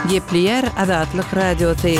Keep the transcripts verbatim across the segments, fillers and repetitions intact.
Gepleýär Azatlyk Radiosy.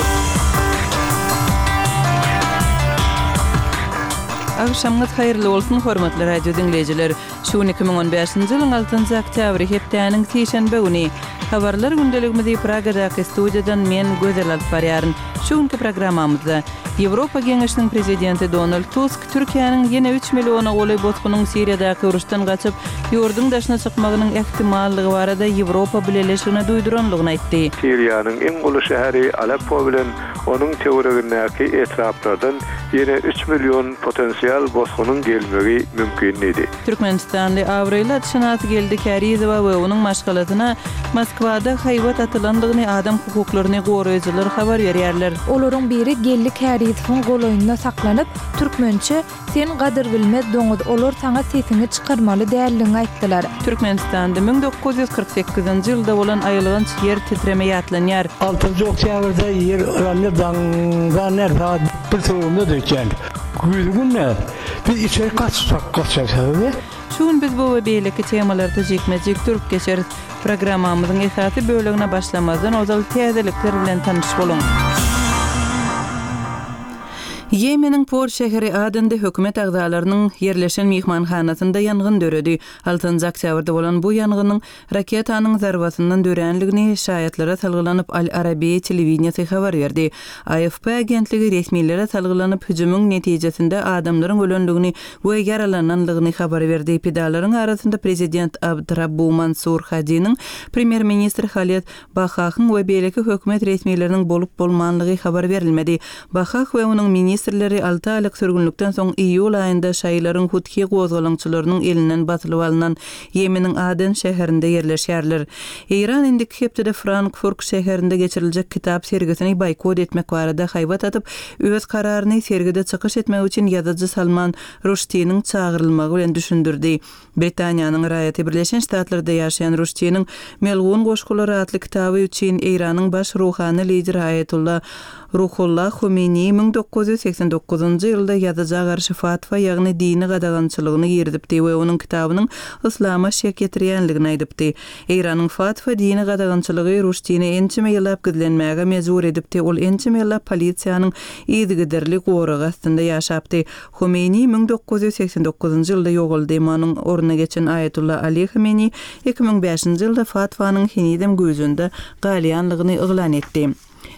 Agşamyňyz haýyrly bolsun, hormatly radio diňleýjiler. Şu gün iki müň on bäşinji ýylyň altynjy oktýabry, hepdäniň sişenbe güni. Habarlar gündeligimizi Pragadaky studiýadan men Gözel alyp barýaryn. Şu günki programmamyzda Ýewropa Geňeşiniň Prezidenti Donald Tusk Türkiýäniň ýene üç milliona golaý bosgunyň Siriýadaky uruşdan gaçyp, ýurduň daşyna çykmagynyň ähtimallygy barada Ýewropa Bileleşigine duýduranlygyny aýtdy. Siriýanyň iň uly şäheri Aleppo bilen onuň töweregindäki etraplardan ýene üç million potensial bosgunyň gelmegi mümkin diýdi. Türkmenistanly abraýly atşynas Geldi Kärizowa we onuň maşgalasyna Moskwada haýbat atylandygyny adam hukuklaryny goraýjylar habar berýärler. Olaryň biri Geldi Kärizowyň golaýynda saklanyp, türkmençe Sen gadyrbilmez doňuz, olar saňa sesiňi çykarmaly däldigiňi aýtdylar. Türkmenistanda müň dokuz ýüz kyrk sekizinji ýylda bolan aýylganç ýer titreme ýatlanýar. Altynjy oktýabrda ýer yrandy, daňdan näl sagat bir töwereginde dökýän. Güýz günde biz içeri gaçsak gaçarys. Şu gün biz bu we beýleki temalarda jikme-jik durup geçeris. Programmamyzyň esasy bölegine başlamazdan ozal täzelikler bilen tanyş boluň. Ýemeniň port şäheri Adende hökümet agzalarynyň ýerleşen myhmanhanasynda ýangyn döredi. Altynjy oktýabrda bolan bu ýangynyň raketanyň zarbasyndan döränligini şaýatlara salgylanyp Al Arabiýa telewideniýesi habar berdi. A F P agentligi resmilere salgylanyp hüjümiň netijesinde adamlaryň ölenligini we ýaralananlygyny habar berdi. Pidalaryň arasynda prezident Abdrabbu Mansur Hadiniň, premýer-ministr Haled Bahahyň we beýleki hökümet resmileriniň bolup bolmanlygy habar berilmedi. Bahah we onuň ministrleri alty aýlyk sürgünlikden soň iýul aýynda şaýylaryň Huthi gozgalaňçylarynyň elinden basylyp alynan Ýemeniň Aden şäherinde ýerleşýärler. Eýran indiki hepdede Frankfurt şäherinde geçiriljek kitap sergisini boýkot etmek barada haýbat atyp, öz kararyny sergide çykyş etmek üçin ýazyjy Salman Rushdiniň çagyrylmagy bilen düşündirdi. Britaniýanyň raýaty Birleşen Ştatlarda ýaşaýan Rushdiniň Melgun goşgulary atly kitaby üçin Eýranyň baş ruhany lideri Aýatullah Ruhullah Khomeini müň dokuz ýüz seksen dokuzynjy ýylda ýazyja garşy fatwa, ýagny dini gadagançylygyny girizipdi we onuň kitabynyň yslama şek ýetirýänligini aýdypdy. Eýranyň fatwa dini gadagançylygy Rushdini ençeme ýyllap gizlenmäge mejbur edipdi. Ol ençeme ýyllap polisiýanyň yzygiderli goragy astynda ýaşapdy. Khomeini müň dokuz ýüz seksen dokuzynjy ýylda ýogaldy. Emma onuň ornuna geçen Aýatullah Ali Khomeini iki müň bäşinji ýylda fatwanyň henizem güýjünde galýanlygyny yglan etdi.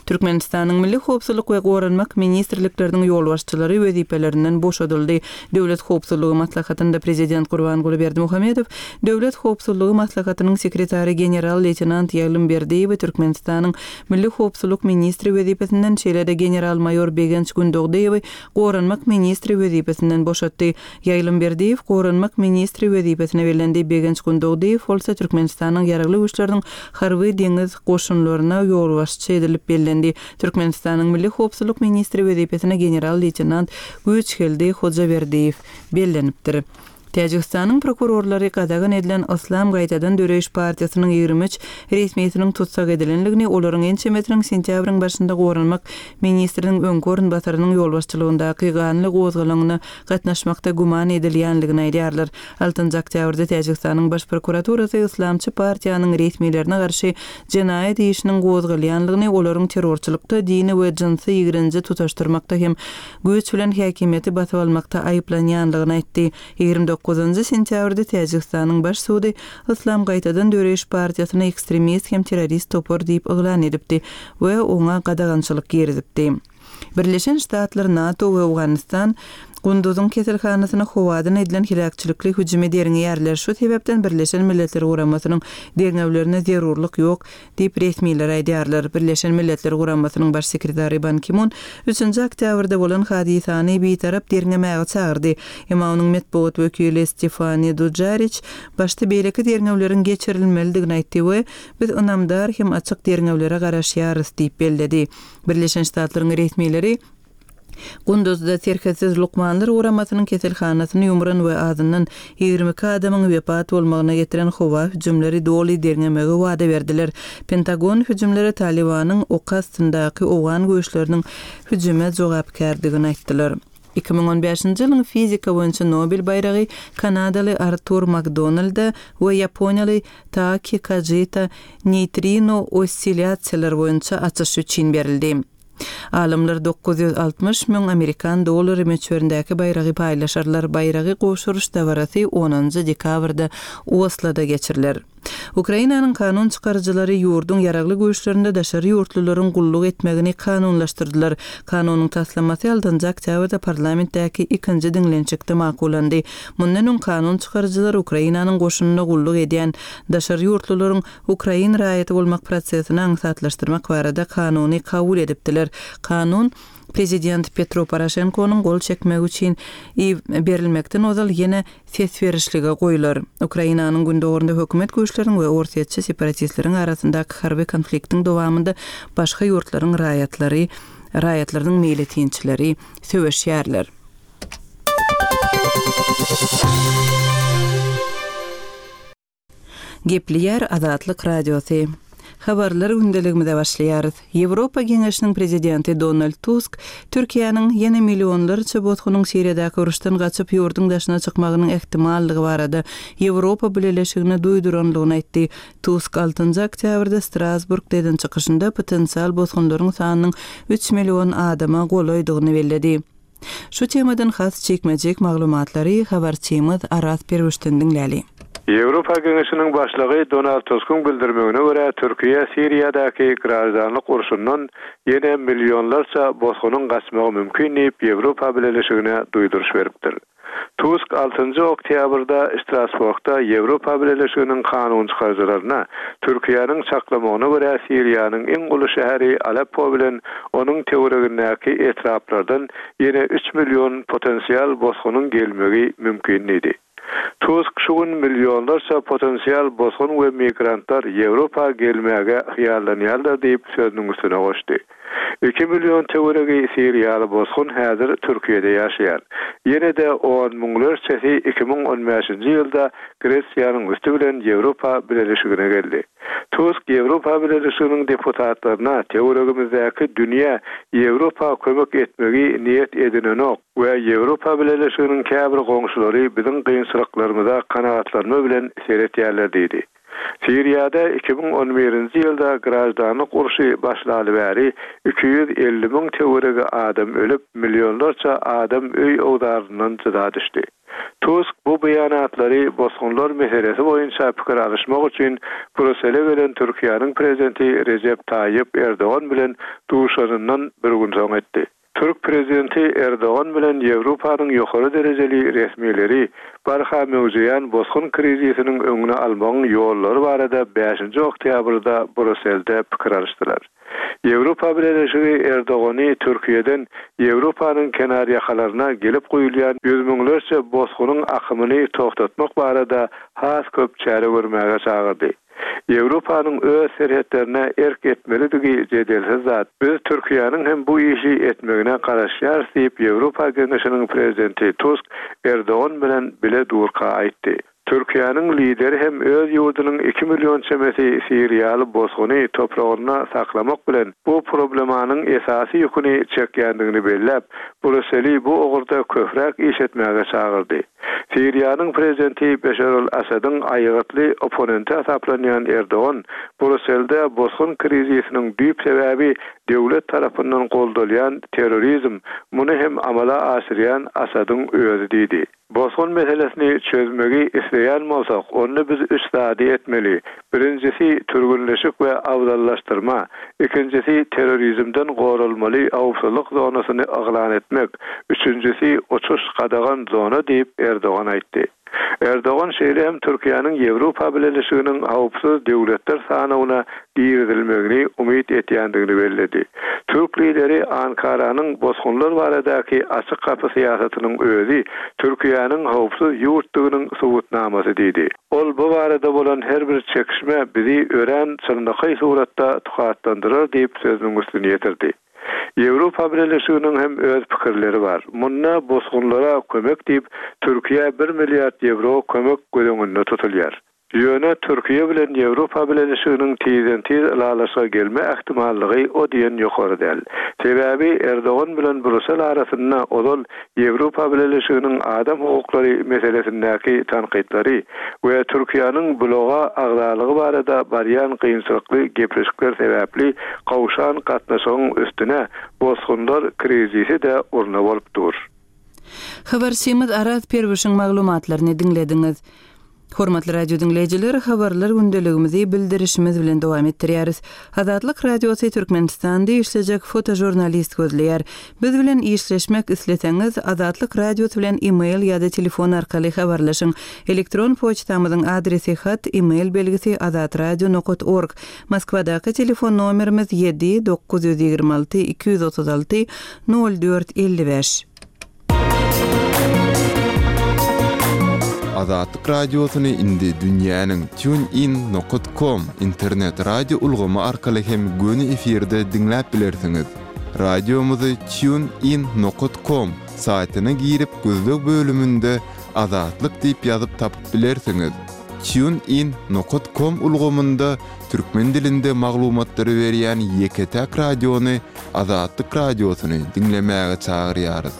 Türkmenistanyň Milli Howpsuzlyk we Goranmak Ministrlikleriniň ýolbaşçylary wezipelerinden boşadyldy. Döwlet Howpsuzlygy Maslahatynda Prezident Gurbanguly Berdimuhamedow, Döwlet Howpsuzlygy Maslahatynyň sekretary general-leýtenant Ýaglym Berdiýewi Türkmenistanyň Milli Howpsuzlyk Ministri wezipesinden, şeýle-de general-maýor Begenç Gündogdyýewi Goranmak Ministri wezipesinden boşatdy. Ýaglym Berdiýew Goranmak Ministri wezipesine bellendi. Begenç Gündogdyýew bolsa Türkmenistanyň ýaragly güýçleriniň harby deňiz goşunlaryna ýolbaşçy edilip bellendi. Türkmenistanyň Milli Howpsuzlyk Ministri wezipesine general-leýtenant Güýçgeldi Hojaberdiýew bellenipdir. Täjigistanyň prokurorlary gadagan edilen Islam gaýtadan döreýiş partiýasynyň ýigrimi üç resmisiniň tutsak edilenligini, olaryň ençemesiniň sentýabryň başynda goranmak ministriniň öňki orunbasarynyň ýolbaşçylygyndaky ganly gozgalaňyna gatnaşmakda güman edilýänligini aýdýarlar. Altynjy oktýabrda Täjigistanyň baş prokuraturasy Islamçy partiýanyň resmilerine garşy jenaýat işiniň gozgalýanlygyny, olaryň terrorçylykda, dini we jynsy ýigrenji tutaşdyrmakda hem güýç bilen häkimiýeti basyp almakda aýyplanýanlygyny aýtdy. Ýigrimi dokuzynjy sentýabrda Täjigistanyň baş sudy Islam gaýtadan döreýiş partiýasyny ekstremist hem terrorist topar diýip yglan edipdi we oňa gadagançylyk girizipdi. Birleşen Ştatlar, NATO we Owganistan Gunduzyň keselhanasyna howadan edilen heläkçilikli hüjümi derňeýärler. Şu sebäpden Birleşen Milletler Guramasynyň derňewlerine zerurlyk ýok diýip resmiler aýdýarlar. Birleşen Milletler Guramasynyň baş sekretary Ban Ki-mun üçünji oktýabrda bolan hadysany bitarap derňemäge çagyrdy. Emma onuň metbugat wekili Stefani Dujarriç başda beýleki derňewleriň geçirilmelidigini aýtdy we biz ynamdar hem açyk derňewlere garaşýarys diýip belledi. Birleşen Ştatlaryň resmileri Gunduzda serhetsiz lukmanlar guramasynyň keselhanasyny ýumran we azyndan ýigrimi iki adamyň wepat bolmagyna getiren howa hüjümleri doly derňemegi wada berdiler. Pentagon hüjümleri Talibanyň oky astyndaky owgan güýçleriniň hüjüme jogapkärdigini aýtdylar. Iki müň on bäşinji ýylyň fizika boýunça Nobel baýragy kanadaly Artur Makdonalda we ýaponiýaly Taaki Kajita neýtrino ossilýasiýalar boýunça açyş üçin berildi. Alymlar dokuz ýüz altmyş müň amerikan dollary möçberindäki baýragy paýlaşarlar. Baýragy gowşuryş dabarasy onunjy dekabrda Osloda geçiriler. Ukrainanyň kanun çykaryjylary ýurduň ýaragly güýçlerinde daşary ýurtlularyň gulluk etmegini kanunlaşdyrdylar. Kanunyň taslamasy altynjy oktýabrda parlamentdäki ikinji diňlenişikde makullandy. Mundan öň kanun çykaryjylar Ukrainanyň goşunynda gulluk edýän daşary ýurtlularyň ukrain raýaty bolmak prosesini aňsatlaşdyrmak barada kanuny kabul edipdiler. Kanun Prezident Petro Poroşenkonyň gol çekmegi üçin berilmekden ozal ýene ses berişlige goýular. Ukrainanyň gündogunda hökümet güýçleriniň we orsýetçi separatistleriň arasyndaky harby konfliktiň dowamynda başga ýurtlaryň raýatlary, raýatlarynyň meýletinçileri söweşýärler. Gepleýär Azatlyk Radiosy. Habarlar gündeligimize başlaýarys. Ýewropa Geňeşiniň prezidenti Donald Tusk Türkiýäniň ýene millionlarça bosgunyň Siriýadaky uruşdan gaçyp ýurduň daşyna çykmagynyň ähtimallygy barada Ýewropa Bileleşigine duýduranlygyny aýtdy. Tusk altynjy oktýabrda Strasburgda eden çykyşynda potensial bosgunlaryň sanynyň üç million adama golaýdygyny belledi. Şu temadan has çekmejek maglumatlary habarçymyz Aras Perwüşden diňläli. Ýewropa Geňeşiniň başlygy Donald Tuskyň bildirmegine görä Türkiýe Siriýadaky graždanlyk urşundan ýene millionlarça bosgunyň gaçmagy mümkin diýip Ýewropa Bileleşigine duýduryş beripdir. Tusk altynjy oktýabrda Strasburgda Ýewropa Bileleşiginiň kanun çykaryjylaryna Türkiýäniň çaklamagyna görä Siriýanyň iň uly şäheri Aleppo bilen onuň töweregindäki etraplardan ýene üç million potensial bosgunyň gelmegi mümkin diýdi. Tusk şu gün millionlarça potensial bosgun we migrantlar Ýewropa gelmäge hyýallanýarlar diýip sözüniň üstüne goşdy. Iki million töweregi Siriýaly bosgun häzir Türkiýede ýaşaýar. Ýene-de on müňlerçesi iki müň on bäşinji ýylda Gresiýanyň üsti bilen Ýewropa Bileleşigine geldi. Tusk Ýewropa Bileleşiginiň deputatlaryna töweregimizdäki dünýä Ýewropa kömek etmegi niýet edinenok we Ýewropa Bileleşiginiň käbir goňşulary biziň kynçylyklarymyza kanagatlanma bilen seretýärler diýdi. Siriýada iki müň on birinji ýylda graždanlyk urşy başlaly bäri iki ýüz elli müň töweregi adam ölüp, millionlarça adam öý owzaryndan jyda düşdi. Tusk bu beýanatlary bosgunlar meselesi boýunça pikir alyşmak üçin Brüssele gelen Türkiýäniň prezidenti Recep Tayyip Erdogan bilen duşanyndan bir gün soň etdi. Türk prezidenti Erdogan bilen Ýewropanyň ýokary derejeli resmileri barha möwjeýän bosgun krizisiniň öňüni almagyň ýollary barada bäşinji oktýabrda Brüsselde pikir alyşdylar. Ýewropa Bileleşigi Erdogany Türkiýeden Ýewropanyň kenarýakalaryna gelip goýulýan ýüz müňlerçe bosgunyň akymyny toxtatmak barada has köp çäre görmäge çagyrdy. Ýewropanyň öz serhetlerine erk etmelidigi jedelsiz zat. Biz Türkiýäniň hem bu işi etmegine garaşýarys diýip Ýewropa Geňeşiniň prezidenti Tusk Erdogan bilen bile durka aýtdy. Türkiýäniň lideri hem öz ýurdunyň iki million çemesi Siriýaly bosguny topragynda saklamak bilen bu problemanyň esasy ýüküni çekýändigini belläp, Brüsseli bu ugurda köpräk iş etmäge çagyrdy. Siriýanyň prezidenti Beşar al-Asadyň aýgytly oponenti hasaplanýan Erdogan Brüsselde bosgun krizisiniň düýp sebäbi döwlet tarapyndan goldalýan terrorizm, muny hem amala aşyrýan Asadyň özi diýdi. Bosgun meselesini çözmegi isleýän bolsak, onda biz üç zady etmeli. Birincisi türgünleşik we awzallaşdyrma, ikincisi terrorizmden goralmaly howpsuzlyk zonasyny yglan etmek, üçüncüsi uçuş gadagan zona diýip Erdogan aýtdy. Erdogan şeýle hem Türkiýäniň Ýewropa Bileleşiginiň howpsuz döwletler sanawyna girizilmegini umyt etýändigini belledi. Türk lideri Ankaranyň bosgunlar baradaky açyk gapy syýasatynyň özi Türkiýäniň howpsuz ýurtdugynyň subutnamasy diýdi. Ol bu barada bolan her bir çekişme bizi ören çynlakaý suratda tukatlandyrar diýip sözüniň üstüni ýetirdi. Ýewropa Bileleşiginiň hem öz pikirleri bar. Munda bosgunlara kömek diýip Türkiýe bir milliard ýewro kömek göz öňünde tutulýar. Ýöne Türkiýe bilen Ýewropa Bileleşiginiň tizden-tiz ylalaşyga gelme ähtimallygy o diýen ýokary däl. Sebäbi Erdogan bilen Brusel arasynda ozal Ýewropa Bileleşiginiň adam hukuklary meselesindäki tankytlary we Türkiýäniň bloga agzalygy barada barýan kynçylykly gepleşikler sebäpli gowşan gatnaşygyň üstüne bosgunlar krizisi-de urna bolup dur. Habarçymyz Araz Perwişiň maglumatlaryny diňlediňiz. Hormatly radio diňleýjiler, habarlar gündeligimizi bildirişimiz bilen dowam etdirýäris. Azatlyk Radiosy Türkmenistanda işlejek fotožurnalist gözleýär. Biz bilen işleşmek isleseňiz, Azatlyk Radiosy bilen e-mail ýa-da telefon arkaly habarlaşyň. Elektron poçtamyzyň adresi hat e-mail belgisi azatradio.org. Moskwadaky telefon nomerimiz ýedi dokuz ýüz ýigrimi alty iki ýüz otuz alty nol dört elli bäş. Azatlyk Radiosyny indi dünýäniň tunein nokta com internet radio ulgamy arkaly hem göni efirde diňläp bilersiňiz. Radiomyzy tunein nokta com saýtyna girip gözleg bölüminde Azatlyk diýip ýazyp tapyp bilersiňiz. Tunein nokta com ulgamynda türkmen dilinde maglumatlary berýän ýeke-täk radiony Azatlyk Radiosyny diňlemäge çagyrýarys.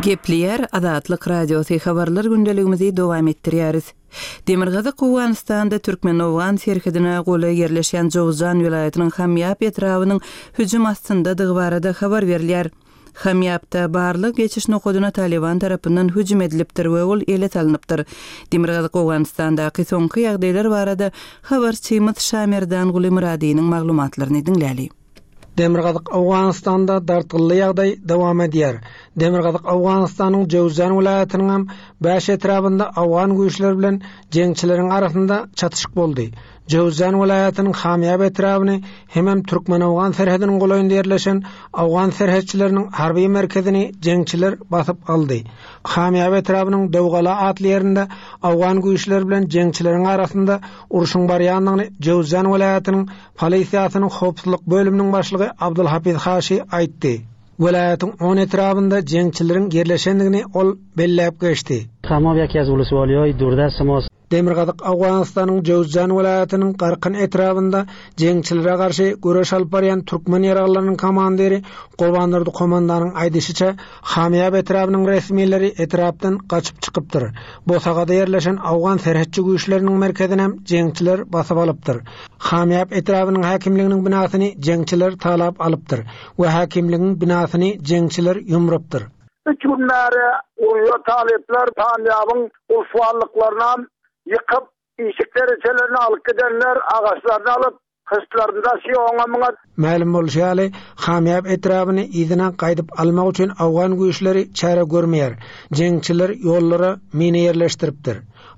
Gepleýär Azatlyk Radiosy habarlar gündeligimizi dowam etdirýäris. Demirgazyk Owganystanda Türkmen-Owgan serhedine golaý ýerleşen Jowzjan welaýatynyň Hamýap etrabynyň hüjüm astyndadygy barada habar berilýär. Hamýapda barlyk geçiş nokadyna Taliban tarapyndan hüjüm edilipdir we ol ele salynypdyr. Demirgazyk Owganystandaky soňky ýagdaýlar barada habarçymyz Şamerdan Guly Myradynyň maglumatlaryny diňläli. Demirgazyk Owganystanda dartgynly ýagdaý dowam edýär. Demirgazyk Owganystanyň Jowzjan welaýatynyň hem bäş etrabynda owgan güýçleri bilen jeňçileriň arasynda çatyşyk boldy. Jowzjan welaýatynyň Hamýap etrabyny hemem Türkmen-Owgan serhediniň golaýynda ýerleşen owgan serhetçileriniň harby merkezini jeňçiler basyp aldy. Hamýap etrabynyň Döwgala atly ýerinde owgan güýçleri bilen jeňçileriň arasynda urşuň barýandygyny Jowzjan welaýatynyň polisiýasynyň howpsuzlyk bölüminiň başlygy Abdulhafiz Haşi aýtdy. Welaýatyň on etrabynda jeňçileriň ýerleşendigini ol belläp geçdi. Hamab yeki az uluswaliýaý durdast mos. Demirgazyk Owganystanyň Jowzjan welaýatynyň Garkyn etrabynda jeňçilere garşy göreş alyp barýan türkmen ýaraglarynyň komandiri Gurbandurdy komandanyň aýdyşyça Hamýap etrabynyň resmileri etrapdan gaçyp çykypdyr. Bosagada ýerleşen owgan serhetçi güýçleriniň merkezine jeňçiler basyp alypdyr. Hamýap etrabynyň häkimliginiň binasyny jeňçiler talap alypdyr we häkimligiň binasyny jeňçiler ýumrupdyr. Üç günlere urýa talyplar Hamýabyň ulfallyklaryna ýykyp, işik derejelerini alyp gidenler, agaçlaryny alyp, hyşlarynda şiýoňa muňa. Mälim bolşy ýaly, Hamýap etrabyny yzyna gaýdyp almak üçin owgan güýçleri çäre görmeýär. Jeňçiler ýollara mine ýerleşdiripdir.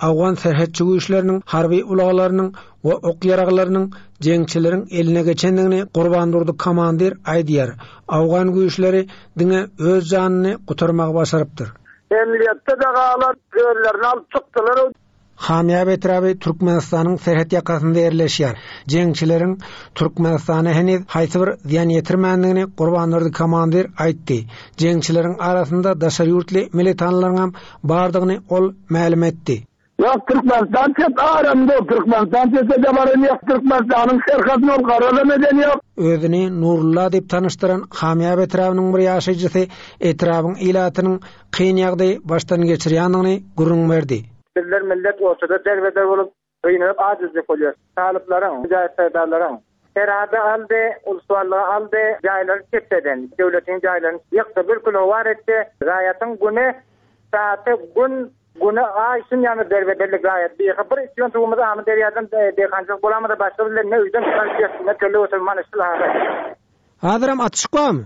Owgan serhetçi güýçleriniň harby ulaglarynyň we ok ýaraglarynyň jeňçileriň eline geçendigini Gurbandurdy komandir aýdýar. Owgan güýçleri diňe öz janyny gutarmagy başarypdyr. Emniyetde de galan özlerini alyp çykdylar. Hamýap etraby Türkmenistanyň serhet ýakasynda ýerleşýär. Jeňçileriň Türkmenistana heniz haýsy bir zyýan ýetirmändigini Gurbandurdy komandir aýtdy. Jeňçileriň arasynda daşary ýurtly militanlaryň hem bardygyny ol mälim etdi. Ýok, Türkmenistan çet aramda, Türkmenistan çete de baran ýok, Türkmenistanyň serhedini ol garalam eden ýok. Özüni Nurullah diýip tanyşdyran Hamýap etrabynyň bir ýaşaýjysy etrabyň ilatynyň kyn ýagdaýy başdan geçirýändigini gürrüň berdi. Bizler millet ortada derbeder bolup, gynalyp acizlik bolýar. Talyplaryň, mücahit serdarlaryň serhady aldy, uluslarlygy aldy, jaýlary çepeden, döwletiň jaýlaryny ýykdy, bir kilo war etdi. Raýatyň güni, saati gün, güni aý şun ýany derbederlik raýat. Bir bir içiyon tuğumyzy amı derýadan, e, deýhançylyk bolamyza başga bizler ne öýden çykan ýerinde köle oturman işli hazır. Hazyram atyşyk barmy?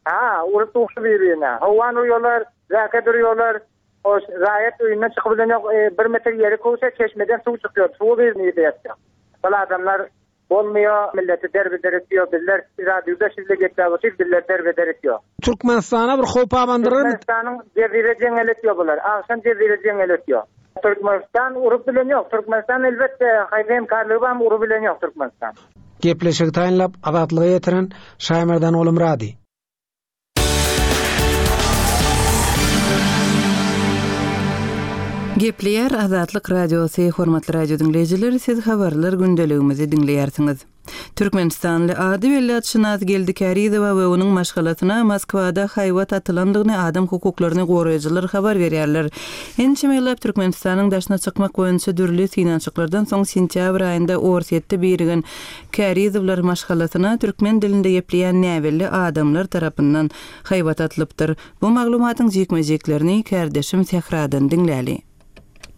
Ha, urup duşdy bir-birine. Howan urýarlar, zäke durýarlar. O raýat öýünden çykyp bilen ýok, e, bir metr ýeri kowsa çeşmeden suw çykýar, suwy bir nirde ýatýar. Bul adamlar bolmaýar, milleti derbeder etýär, bizler radioda sizle gepläp otyr, bizler derbeder etýär. Türkmenistana bir howp abandyrarmy? Türkmenistanyň jezire jeňel etýär bular, agşam jezire jeňel etýär. Türkmenistan urup bilen ýok, Türkmenistan elbetde haýsy hemkarlygy barmy urup bilen ýok Türkmenistan. Gepleşigi taýynlap Azatlyga ýetiren Şaýmerdan Oglumyrady. Gepleýär Azatlyk Radiosy, hormatly radio diňleýjiler, siz habarlar gündeligimizi diňleýärsiňiz. Türkmenistanly ady belli atşynas Geldi Kärizowa we onuň maşgalasyna Moskwada haýbat atylandygyny adam hukuklaryny goraýjylar habar berýärler. Ençeme ýyllap Türkmenistanyň daşyna çykmak boýunça dürli synanyşyklardan soň sentýabr aýynda Orsýetde birigen Kärizowlar maşgalasyna türkmen dilinde gepleýän näbelli adamlar tarapyndan haýbat atylypdyr. Bu maglumatyň jikme-jiklerini kärdeşim Sähradan diňläli.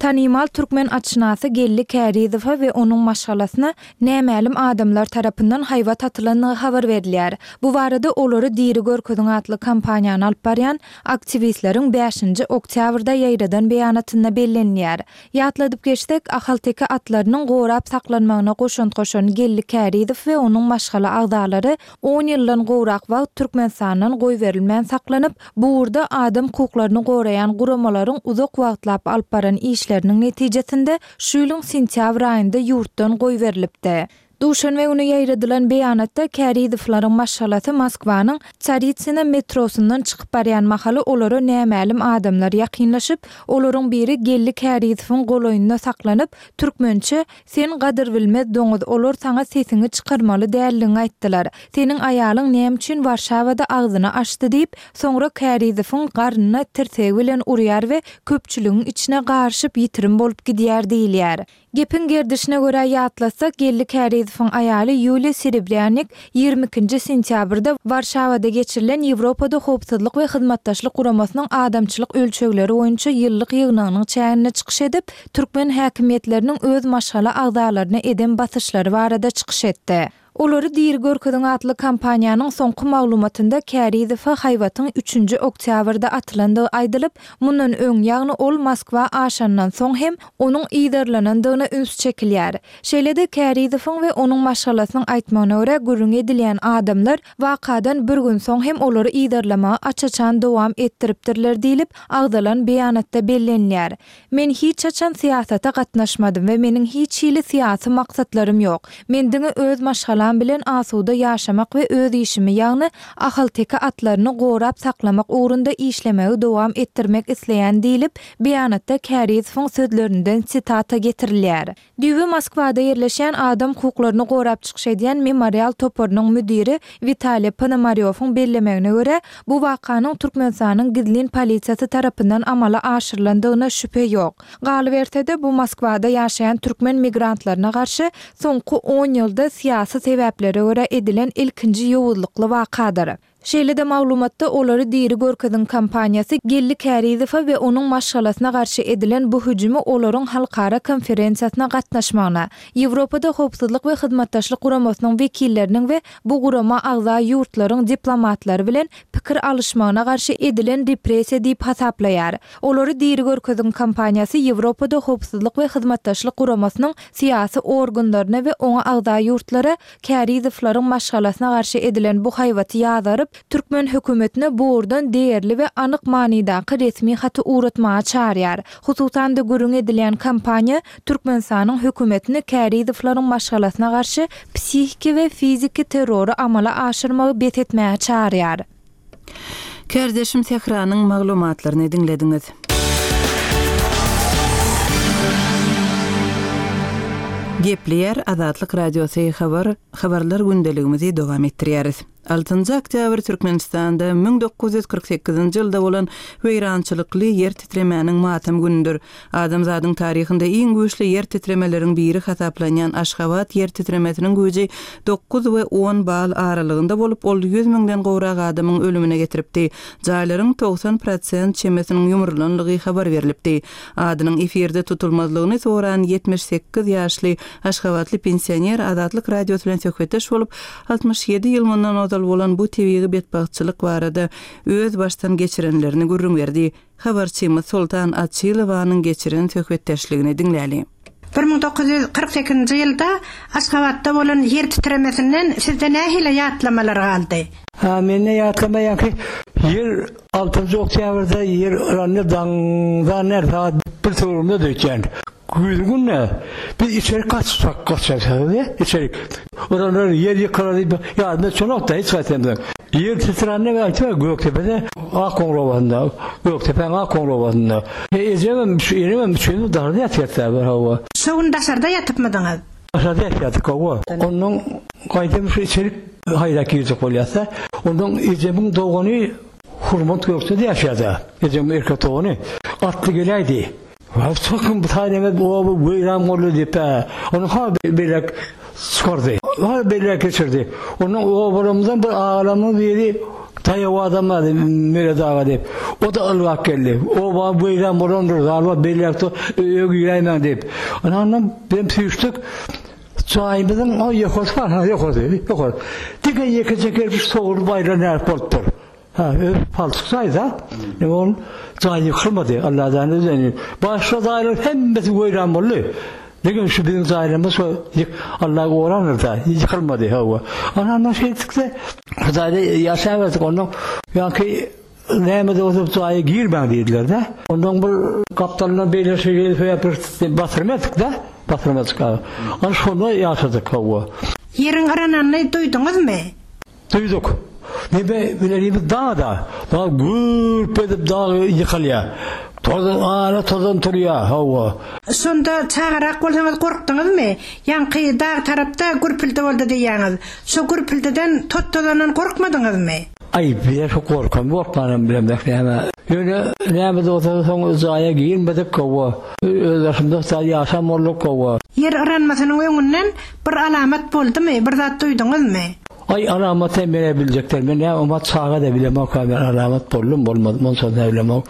Tanymal türkmen atşynasy Geldi Kärizowa we onuň maşgalasyna nämälim adamlar tarapyndan haýbat atylandygy habar berilýär. Bu barada Olary diri görkeziň atly kampaniýany alyp barýan aktiwistleriň bäşinji oktýabrda ýaýradan beýanatynda bellenilýär. Ýatladyp geçsek, ahalteke atlarynyň gorap saklanmagyna goşant goşan Geldi Kärizow we onuň maşgala agzalary on ýyldan gowrak wagt Türkmenistandan goýberilmän saklanyp, bu ugurda adam hukuklaryny goraýan guramalaryň uzak wagtlap alyp baran işleriniň netijesinde şu ýylyň sentýabr aýynda ýurtdan goýberilipdi. Duşenbe güni ýaýradylan beýanatda Kärizowlaryň maşgalasy Moskwanyň Tsaritsina metrosyndan çykyp barýan mahaly olara nämälim adamlar ýakynlaşyp, olaryň biri Geldi Kärizowyň golaýynda saklanyp, türkmençe Sen gadyrbilmez doňuz, olar saňa sesiňi çykarmaly däldigiňi aýtdylar. Seniň aýalyň näme üçin Warşawada agzyny açdy diýip, soňra Kärizowyň garnyna tirsegi bilen urýar we köpçüligiň içine garyşyp ýitirim bolup gidýär diýilýär. Gepiň gerdişine görä ýatlatsak, Geldi Kärizowyň aýaly Ýuliýa Serebrýanik ýigrimi ikinji sentýabrda Warşawada geçirilen Ýewropada Howpsuzlyk we Hyzmatdaşlyk Guramasynyň adamçylyk ölçegleri boýunça ýyllyk ýygnagynyň çäginde çykyş edip, türkmen häkimiýetleriniň öz maşgala agzalaryna eden basyşlary barada çykyş etdi. Olary diri görkeziň atly kampaniýanyň soňky maglumatynda Kärizowa haýbatyň üçünji oktýabrda atylandygy aýdylyp, mundan öň, ýagny ol Moskwa aşandan soň hem onuň yzarlanandygyna üns çekilýär. Şeýle-de Kärizowyň we onuň maşgalasynyň aýtmagyna görä, gürrüňi edilýän adamlar wakadan bir gün soň hem olary yzarlamagy aç-açan dowam etdiripdirler diýlip, agzalan beýanatda bellenilýär. Men hiç haçan syýasata gatnaşmadym we meniň hiç hili syýasy maksatlarym ýok. Men diňe öz maşgalam bilen asuda ýaşamak we öz işimi, ýagny ahalteke atlaryny gorap saklamak ugrunda işlemegi dowam etdirmek isleýän diýlip, beýanatda Kärizowyň sözlerinden sitata getirilýär. Düýbi Moskwada ýerleşýän adam hukuklaryny gorap çykyş edýän Memorial toparynyň müdiri Witaliý Ponomarýowyň bellemegine görä, bu wakanyň Türkmenistanyň gizlin polisiýasy tarapyndan amala aşyrylandygyna şübhe ýok. Galyberse-de, bu Moskwada ýaşaýan türkmen migrantlaryna garşy soňky on ýylda syýasy sebäplere görä edilen ilkinji ýowuzlykly wakadyr. Şeýle-de maglumatda Olary diri görkeziň kampaniýasy Geldi Kärizowa we onuň maşgalasyna garşy edilen bu hüjümi olaryň halkara konferensiýasyna gatnaşmagyna, Ýewropada Howpsuzlyk we Hyzmatdaşlyk Guramasynyň wekilleriniň we bu gurama agza ýurtlaryň diplomatlary bilen pikir alyşmagyna garşy edilen repressiýa diýip hasaplaýar. Olary diri görkeziň kampaniýasy Ýewropada Howpsuzlyk we Hyzmatdaşlyk Guramasynyň syýasy organlaryna we oňa agza ýurtlara Kärizowlaryň maşgalasyna garşy edilen bu haýbaty ýazgaryp, türkmen hökümetine bu ugurdan degerli we anyk manydaky resmi haty ugratmaga çagyrýar. Hususan-da, gürrüň edilýän kampaniýa Türkmenistanyň hökümetini Kärizowlaryň maşgalasyna garşy psihiki we fiziki terrory amala aşyrmagy bes etmäge çagyrýar. Kärdeşim Sähranyň maglumatlaryny diňlediňiz. Gepleýär Azatlyk Radiosy habar habarlar gündeligimizi dowam etdirýäris. Altynjy oktýabr Türkmenistanda müň dokuz ýüz kyrk sekizinji ýylda bolan weýrançylykly ýer titremäniň matam günüdir. Adamzadyň taryhynda iň güýçli ýer titremeleriň biri hasaplanýan Aşgabat ýer titremesiniň güýji dokuz we on bal aralygynda bolup, ol ýüz müňden gowrak adamyň ölümine getiripdi. Jaýlaryň togsan prosent çemesiniň ýumrulanlygy habar berlipdi. Adynyň efirde tutulmazlygyny soran ýetmiş sekiz ýaşly aşgabatly pensioner Azatlyk Radiosy bilen söhbetdeş bolup, altmyş ýedi ýyl mundan ozal bolan bu tebigy betbagtçylyk barada öz başdan geçirenlerini gürrüň berdi. Habarçymyz Soltan Açylowanyň geçiren söhbetdeşligini diňläli. Bir müň dokuz ýüz kyrk sekizinji ýylda Aşgabatda bolan ýer titremesinden sizde nähili ýatlamalar galdy? Ha, mende ýatlama ýaňky ýer altynjy oktýabrda ýer yrandy daňdan her saat bir töwereginde döýtýän. Güýz günde biz içerik gaçsak gaçarsak içerik. Oralar ýer ýykylar diýip ýadyma düşenok-da hiç haýsymyzyň. Ýer titrände aýtýar Gökdepede Akgoňur obasynda, Gökdepäň Akgoňur obasynda. Ejemem, şu enemem üçimiz daşarda ýatýarys bir hawa. Şo gün daşarda ýatypmydyňyz? Daşarda ýatýardyk hawa. Ondan gaýdam şu içerik haýrak girjek bolýarys-da. Ondan ejemiň dogany Hurmat Gökde-de ýaşaýardy. Ejemiň erkek dogany. Atly geläýdi. Wah, çykyň bu taýdan ez oba weýran boldy diýip-ä, ony ha beýläk çykardy, ha beýläk geçirdi. Ondan obalarymyzdan bir agalarymyň biri daýaw adam bardy, Meret aga diýip. O-da ylgap geldi. Oba weýran bolandyr, zalba beýläkde öýe giräýmäň diýip. Ana, ondan bizem süýşdük. Jaýymyzyň o ýokarsy bar, ha, ýokarsy, ýokary. Diňe ýekeje kerpiç sowrulyp aýrylan ýaly bolupdyr. Ha, öz palçyk jaýda, indi ol jaý ýykylmady, Allajan özeni. Başga jaýlaryň hemmesi weýran boldy. Diňe şu biziň jaýlarymyz şo Allah gorandyr-da, ýykylmady, hawa. Ana, ondan şeýtdik-de, şu jaýda ýaşaberdik. Ondan ýaňky näme-de bolsa bu jaýa girmäň diýdiler-de. Ondan bir gapdalyndan beýle şeýle sebäpli basyrma etdik-de, basyrma etdik. Ana, şonda ýaşadyk, hawa. Ýeriň yrananyny duýduňyzmy? Duýduk. Neme bilerimiz dag-da. Dag gürp edip dag ýykylýar. Tozan, ara tozan turýar, hawa. Şonda çagarak bolsaňyz gorkduňyzmy? Ýaňky dag tarapda gürpüldi boldy diýýäňiz. Şo gürpüldiden, tot-tozandan gorkmadyňyzmy? Aý, bizä şo gorkam, gorkmanam bilemzok näme. Ýöne näme-de bolsa soň jaýa girmedik, hawa. Öz başymyza jaý ýaşan bolduk, hawa. Ýer yranmasynyň öňünden bir alamat boldumy, bir zat duýduňyzmy? Aý alamat hem menä biljekdäl men näme omat çaga-da bilemok a men alamat boldum bolmadym onçasy nä bilemok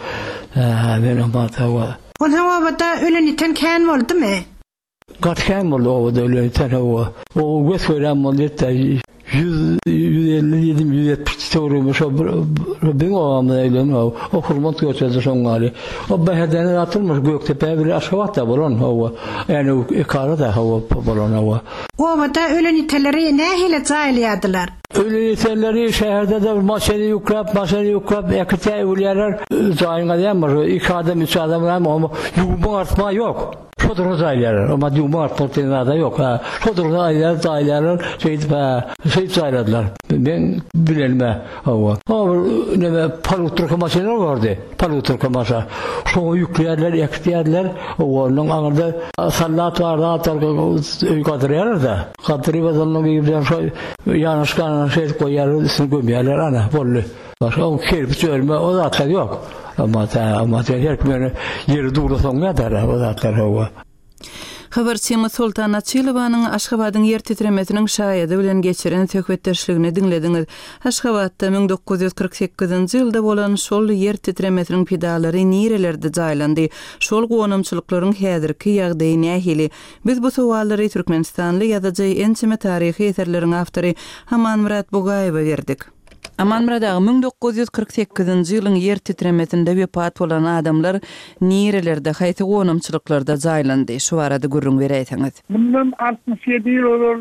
hä men omat hawa. Onsoň obada ölen ýiten kän boldumy? Gaty kän boldy obada ölen ýiten hawa. Oba gös görýän boldy ýetde ýüz ýüz elli diýdim ýüz ýetmiş töwereginde şo bir biziň obamyzda ölen hawa. O hurmat göçedi şoň ýaly. O Bäherdene zat bolmaz Gökdepe bile Aşgabatda bolan hawa. Änew ekarada hawa bolan hawa. Obada ölen iteleri nähili jaýlaýardylar? Ölen iteleri şäherde-de maşyny ýükläp, maşyny ýükläp äkitýär, öwülýärler. Jaýyň alýan bir iki adam, üç adam ram oňa ýuwma artma ýok. Şo durda jaýlaýarlar. Oňa ýuwma artmak diýen zada ýok. Hä, şo durda alýar, jaýlaýarlar. Şeýdip, hä, şeýdip jaýladylar. Meň bilenim-ä, hawa. O bir neme palutrka maşynlar bardy. Palutrka maşa. Şoňa ýükleýärler, äkitýärler. Onuň aňyrda sallat bar, zat bar, öý gazyrýarlar-da. Gazyryp azandan girýän şo ýanaşyk şeýdip goýýarlar, üstüni gömýärler, ana, boldy. Başga o kerpiç örme, o zatlar ýok. Amma, amma her kim ýöne ýeri duwlasaň ýatar o zatlar, hawa. Habarçymyz Soltan Açylowanyň Aşgabadyň ýer titremesiniň şaýady bilen geçiren söhbetdeşligini diňlediňiz. Aşgabatda müň dokuz ýüz kyrk sekizinji ýylda bolan şol ýer titremesiniň pidalary nirelerde jaýlandy? Şol gonamçylyklaryň häzirki ýagdaýy nähili? Biz bu sowallary türkmenistanly ýazyjy, ençeme taryhy eserleriň awtory Amanmyrat Bugaýewe berdik. Amanmyrat aga, müň dokuz ýüz kyrk sekizinji ýylyň ýer titremesinde wepat bolan adamlar nirelerde, haýsy gonamçylyklarda jaýlandy? Şu barada gürrüň beräýseňiz. Mundan altmyş ýedi ýyl ozal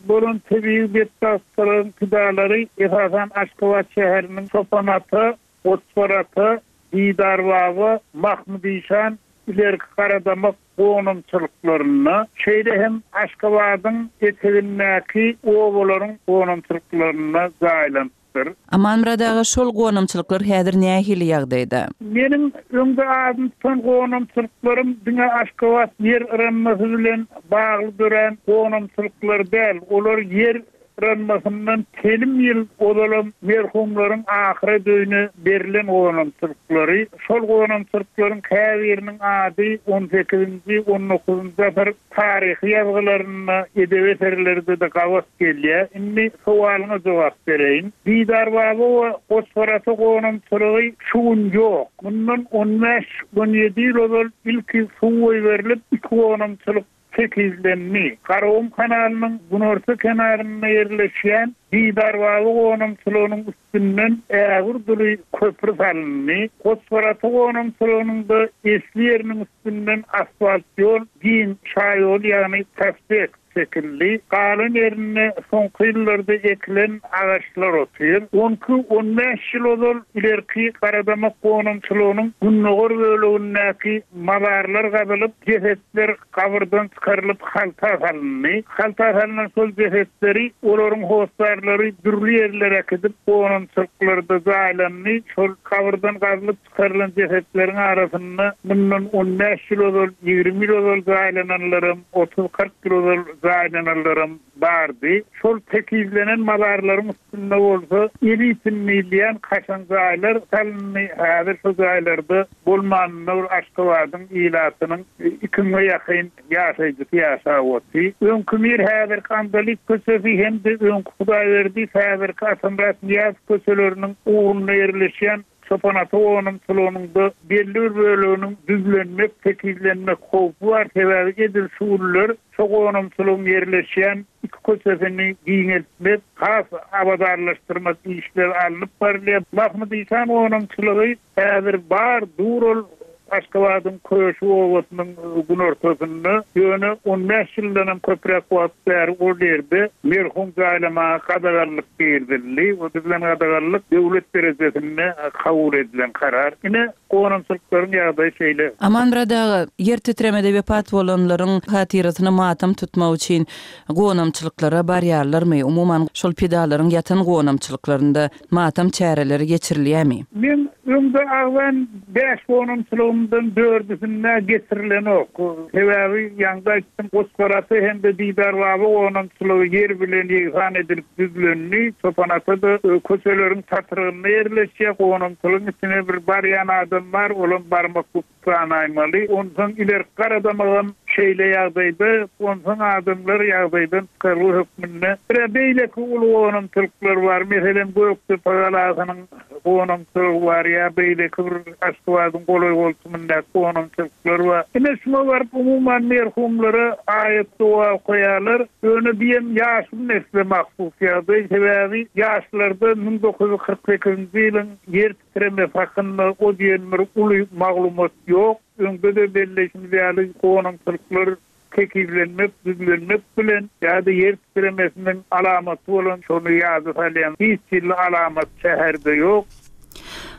bolan tebigy betbagtçylygyň pidalary esasan Aşgabat şäheriniň Çopanata, Goçbarata, Didarbaba, Mahmud Işan, ilerki Garadamak gonamçylyklarynda, şeýle hem Aşgabadyň etegindäki obalaryň gonamçylyklarynda jaýlanypdyr. Amanmyrat aga, şol gonamçylyklar häzir nähili ýagdaýda? Meniň öňde adyny tutan gonamçylyklarym diňe Aşgabat ýer yranmasy bilen bagly dörän gonamçylyklar däl. Olar ýer yranmasyndan telim ýyl ozalam merhumlaryň ahyret öýüne berlen gonamçylyklary. Şol gonamçylyklaryň käbiriniň ady on sekizinji, on dokuzynjy asyr taryhy ýazgylarynda, edebi eserlerde-de gabat gelýär. Indi sowalyňa jogap bereýin. Didarbaba we Goçbarata gonamçylygy şu gün ýok. Mundan on bäş, on ýedi ýyl ozal ilki suw goýberilip, iki gonamçylyk tekizlendi. Garagum kanalynyň günorta kenarynda ýerleşýän Didarbaba gonamçylygynyň üstünden ägir duly köpri salyndy. Goçbarata gonamçylygynyň da esli ýeriniň üstünden asfalt ýol, giň şaýol, ýagny prospekt çekildi. Galan ýerinde soňky ýyllarda ekilen agaçlar otyr. On iki, on bäş ýyl ozal ilerki Garadamak gonamçylygynyň gündogar bölegindäki mazarlar gazylyp, jesetler gabyrdan çykarylyp halta salyndy. Halta salynan şol jesetleri olaryň hossarlary dürli ýerlere äkidip gonamçylyklarda jaýlandy. Şol gabyrdan gazylyp çykarylan jesetleriň arasynda mundan on bäş ýyl ozal, ýigrimi ýyl ozal jaýlananlaram, otuz-kyrk ýyl ozal jaýlananlaram bardy. Şol tekizlenen mazarlaryň üstünde bolsa elitin diýilýän kaşaň jaýlar salyndy. Häzir şo jaýlarda bolmanynda bir Aşgabadyň ilatynyň iki müňe ýakyn ýaşaýjysy ýaşap otyr. Öňki Mir häzirki Andalyp köçesi hem-de öňki Hudaýberdi häzirki Atamyrat Nyýazow köçeleriniň ugrunda ýerleşýän Çopan ata gonamçylygynyň belli bir böleginiň düzlenmek, tekizlenmek howpy bar. Sebäbi edil şu günler şo gonamçylygyň ýerleşýän iki köçesini giňeltmek, has abadanlaşdyrmak işleri alnyp barylýar. Mahmud Işan gonamçylygy häzir bar, dur ol Aşgabadyň Köşi obasynyň günortasynda, ýöne on bäş ýyldan hem köpräk wagt bäri ol ýerde merhum jaýlamaga gadaganlyk girizildi. O düzülen gadaganlyk döwlet derejesinde kabul edilen karar. Ine gonamçylyklaryň ýagdaýy şeýle. Amanmyrat aga, ýer titremede wepat bolanlaryň hatyrasyna matam tutmak üçin gonamçylyklara barýarlarmy? Umuman şol pidalaryň ýatan gonamçylyklarynda matam çäreleri geçirilýärmi? Men öňde agzan bäş gonamçylygymdan dördüsinde getirilen ok. Sebäbi ýaňda aýtdym, Goçgarata hem-de Didar baba gonamçylygy ýer bilen ýegsan edilip düzlendi. Çopan ata-da köçeleriň çatrygynda ýerleşýär. Gonamçylygyň içine bir barýan adam bar, olam barmak sanaýmaly. Onsoň ileri garadamagam şeýle ýagdaýda, onsoň adamlar ýagdaýdan çykargy hökmünde. Bir beýleki uly gonamçylyklar bar. Meselem, Gökdepe galasynyň gonamçylygy bar ýa beýleki bir Aşgabadyň golaý goltumyndaky gonamçylyklar bar. Ine şuna baryp umuman merhumlara aýat dua okaýarlar. Ýöne diýem ýaşly nesle mahsus ýagdaý. Sebäbi ýaşlarda müň dokuz ýüz kyrk sekizinji ýylyň ýer titremesi hakynda o diýen bir uly maglumat ýok. Öňde-de belleşimiz ýaly gonamçylyklar tekizlenmek, düzlenmek bilen ýa-da ýer titremesiniň alamaty bolan şony ýada salýan hiç hili alamat şäherde ýok.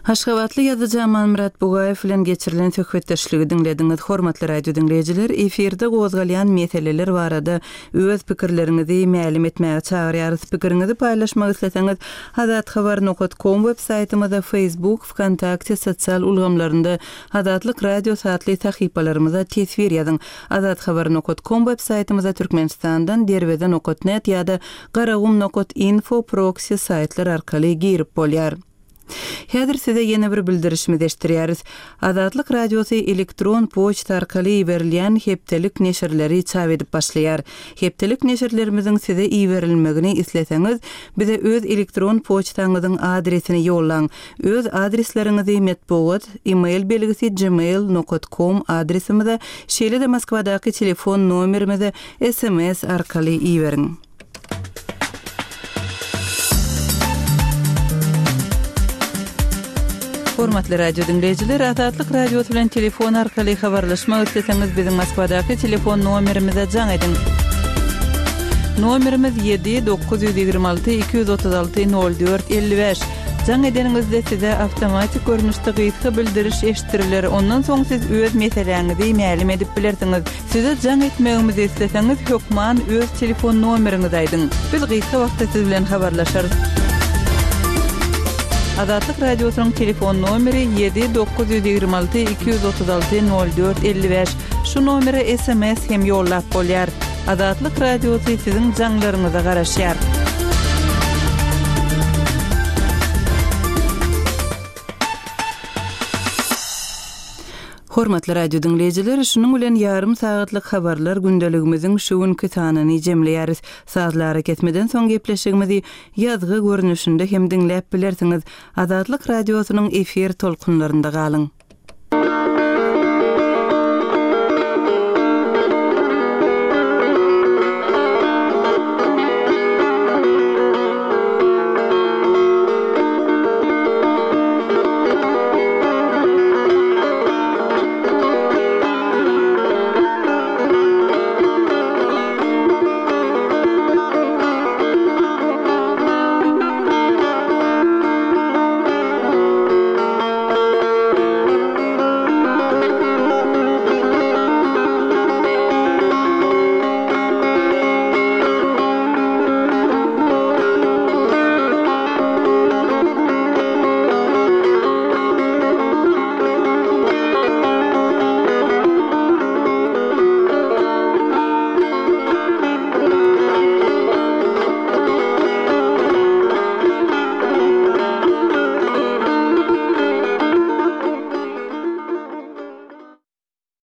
Aşgabatly ýazyjy Amanmyrat Bugaýew bilen geçirilen söhbetdeşligi diňlediňiz. Hormatly radio diňleýjiler, efirde gozgalýan meseleler barada öz pikirleriňizi mälim etmäge çagyrýarys. Pikiriňizi paýlaşmak isleseňiz, azathabar nokta com web saýtymyzda, Facebook, VKontakte sosial ulgamlarynda Azatlyk Radiosy atly sahypalarymyza teswir ýazyň. Azathabar nokta com web saýtymyzda Türkmenistandan derweze nokta net ýa-da garagum nokta info proxy saýtlar arkaly girip bolýar. Häzir size ýene bir bildirişimizi eşitdirýäris. Azatlyk Radiosy elektron poçta arkaly iberilýän hepdelik neşirleri çap edip başlaýar. Hepdelik neşirlerimiziň size iberilmegini isleseňiz, bize öz elektron poçtaňyzyň adresini ýollaň. Öz adresleriňizi metbugat, e-mail belgisi gmail nokta com adresimize, şeýle-de Moskwadaky telefon nomerimize S M S arkaly iberiň. Hormatly radio dinleýjiler, Azatlyk Radiosy bilen telefon arkaly habarlaşmak isleseňiz, biziň Moskwadaky telefon nomerimize jaň ediň. Nomerimiz ýedi dokuz ýüz ýigrimi alty iki ýüz otuz alty nol dört elli bäş. Jaň edeniňizde size awtomatik görnüşde gysga bildiriş eşitdiriler. Ondan soň siz öz meseläňizi mälim edip bilersiňiz. Size jaň etmegimizi isleseňiz, hökman öz telefon nomeriňizi aýdyň. Biz gysga wagtda siz bilen habarlaşarys. Azatlyk Radiosynyň telefon nomeri ýedi dokuz ýüz ýigrimi alty iki ýüz otuz alty nol dört elli bäş. Şu nomere S M S hem ýollap bolýar. Azatlyk Radiosy siziň jaňlaryňyza garaşýar. Hormatly radio dinleýjiler, şunuň bilen ýarym sagatlyk habarlar gündeligimiziň şu günki sanyny jemleýäris. Sazlary kesmeden soň gepleşigimizi ýazgy görnüşinde hem diňläp bilersiňiz. Azatlyk Radiosynyň efir tolkunlarynda galyň.